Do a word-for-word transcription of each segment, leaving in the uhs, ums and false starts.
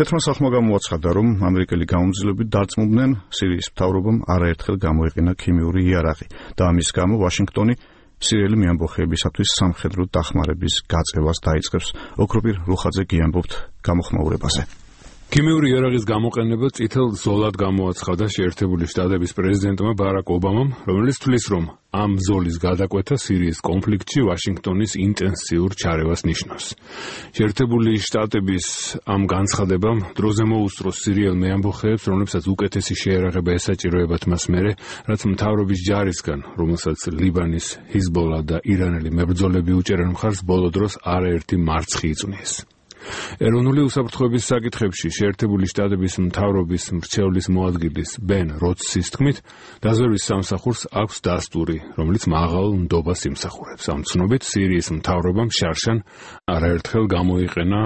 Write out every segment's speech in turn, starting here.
თეთრმა სახლმა გამოაცხადა, რომ ამერიკელი გამომძიებლები დარწმუნდნენ სირიის მთავრობამ არაერთხელ გამოიყენა ქიმიური იარაღი და ამის გამო ვაშინგტონი სირიელი მეამბოხეებისათვის სამხედრო დახმარების გაწევას დაიწყებს. ოქროპირ რუხაძე გიამბობთ გამოხმაურებაზე. ქიმიური იარაღის გამოყენება წითელ ზოლად გამოაცხადა შეერთებული შტატების პრეზიდენტმა ბარაკ ობამამ, რომელიც თვლის, რომ ამ ზოლის გადაკვეთა სირიის კონფლიქტში ვაშინგტონის ინტენსიურ ჩარევას ნიშნავს. შეერთებული შტატების ამ განცხადებამ დროზე მოუსწროს სირიელ მეამბოხეებს, რომლებსაც უკეთესი შეერაღება ესაჭიროებათ მას მერე, რაც მთავრობის ჯარისგან, რომელსაც ლიბანის ჰიზბოლა და ირანელი მებრძოლები უჭერენ მხარს, ბოლო დროს არაერთი მარცხი იწვნიეს. ეროვნული უსაფრთხოების საკითხებში შეერთებული შტატების მთავრობის მრჩევლის მოადგილის ბენ როტსის თქმით, დაზვერვის სამსახურს აქვს დასტური, რომელიც მაღალ ნდობას იმსახურებს. ამ ცნობით სირიის მთავრობამ შარშან არაერთხელ გამოიყენა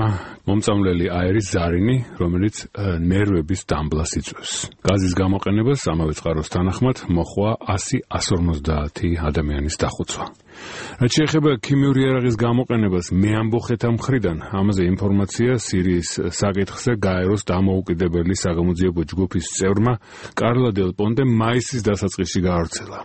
მომწამლელი აერის ზარინი, რომელიც ნერვების დამბლას იწვევს. გაზის გამოყენებას ამავე წყაროს თანახმად მოჰყვა ასი ორმოცდაათი ადამიანის დახოცვა. რაც შეეხება ქიმიური იარაღის გამოყენებას მეამბოხეთა მხრიდან, ამაზე ინფორმაცია სირიის საკითხზე გაეროს დამოუკიდებელი საგამოძიებო ჯგუფის წევრმა კარლა დელ პონტემ მაისის დასაწყისში გაავრცელა.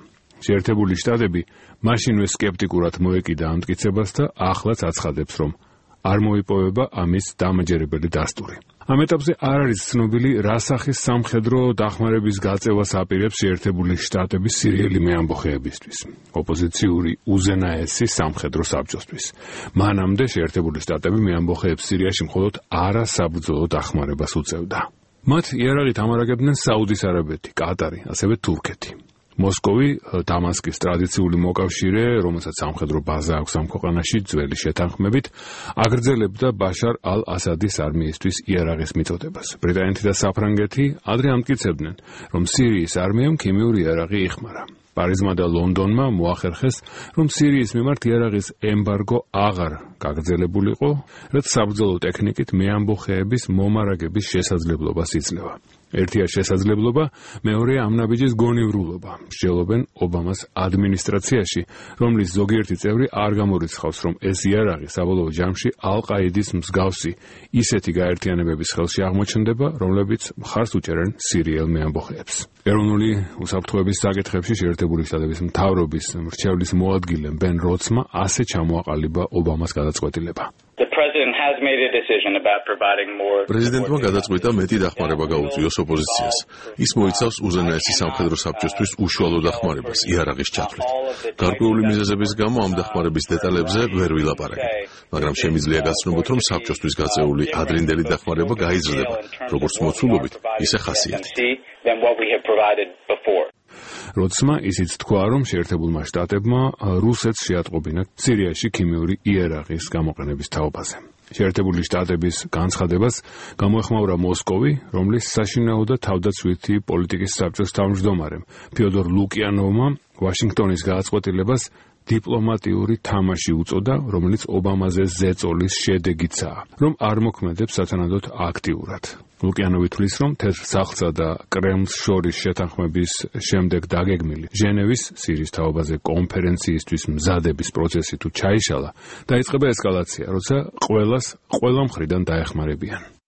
შეერთებული შტატები მაშინვე სკეპტიკურად მოეკიდა ამ მტკიცებას და ახლაც აცხადებს, რომ არ მოიპოვება ამის დამაჯერებელი დასტური. ამ ეტაპზე არ არის ცნობილი, რა სახის სამხედრო დახმარების გაწევას აპირებს შეერთებული შტატების სირიელი მეამბოხეებისთვის, ოპოზიციური უზენაესი სამხედრო საბჭოსთვის. მანამდე შეერთებული შტატები მეამბოხეებს სირიაში მხოლოდ არასაბრძოლო დახმარებას უწევდა. მათ იარაღით ამარაგებდნენ საუდის არაბეთი, კატარი, ასევე თურქეთი. მოსკოვი, დამასკის ტრადიციული მოკავშირე, რომელსაც სამხედრო ბაზა აქვს ამ ქვეყანაში ძველი შეთანხმებით, აგრძელებდა ბაშარ ალ-ასადის არმიისთვის იარაღის მიწოდებას. ბრიტანეთი და საფრანგეთი ადრე ამტკიცებდნენ, რომ სირიის არმიამ ქიმიური იარაღი იხმარა. პარიზმა და ლონდონმა მოახერხეს, რომ სირიის მიმართ იარაღის ემბარგო აღარ გაგრძელებულიყო, რაც საბრძოლო ტექნიკით მეამბოხეების მომარაგების შესაძლებლობას იძლევა. ერთია შესაძლებლობა, მეორეა ამ ნაბიჯის გონივრულობა. მსჯელობენ ობამას ადმინისტრაციაში, რომლის ზოგიერთი წევრი არ გამორიცხავს, რომ ეს იარაღი საბოლოო ჯამში ალ-ყაიდის მსგავსი ისეთი გაერთიანებების ხელში აღმოჩნდება, რომლებიც მხარს უჭერენ სირიელ მეამბოხეებს. ეროვნული უსაფრთხოების საკითხებში შეერთებული შტატების მთავრობის მრჩევლის მოადგილე ბენ როტსმა ასე ჩამოაყალიბა ობამას გადაწყვეტილება. პრეზიდენტმა გადაწყვიტა მეტი დახმარება გაუწიოს ოპოზიციას. ის მოიცავს უზენაესი სამხედრო საბჭოსთვის უშუალო დახმარებას იარაღის ჩათვლით. გარკვეული მიზეზების გამო ამ დახმარების დეტალებზე ვერ ვილაპარაკებ, მაგრამ შემიძლია გაცნობოთ, რომ საბჭოსთვის გაწეული ადრინდელი დახმარება გაიზრდება, როგორც მოცულობით, ისე ხასიათით. როცმა ისიც თქვა, რომ შეერთებულმა შტატებმა რუსეთს შეატყობინა სირიაში ქიმიური იარაღის გამოყენების თაობაზე. შეერთებული შტატების განცხადებას გამოეხმაურა მოსკოვი, რომლის საშინაო და თავდაცვითი პოლიტიკის საბჭოს თავმჯდომარემ ფიოდორ ლუკიანოვმა ვაშინგტონის გადაწყვეტილებას დიპლომატიური თამაში უწოდა, რომელიც ობამაზე ზეწოლის შედეგიცაა, რომ არ მოქმედებს სათანადოდ აქტიურად. ლუკიანოვი თვლის, რომ თეთრ სახლსა და კრემლს შორის შეთანხმების შემდეგ დაგეგმილი ჟენევის სირიის თაობაზე კონფერენციისთვის მზადების პროცესი თუ ჩაიშალა, დაიწყება ესკალაცია, როცა ყველას ყველა მხრიდან დაეხმარებიან.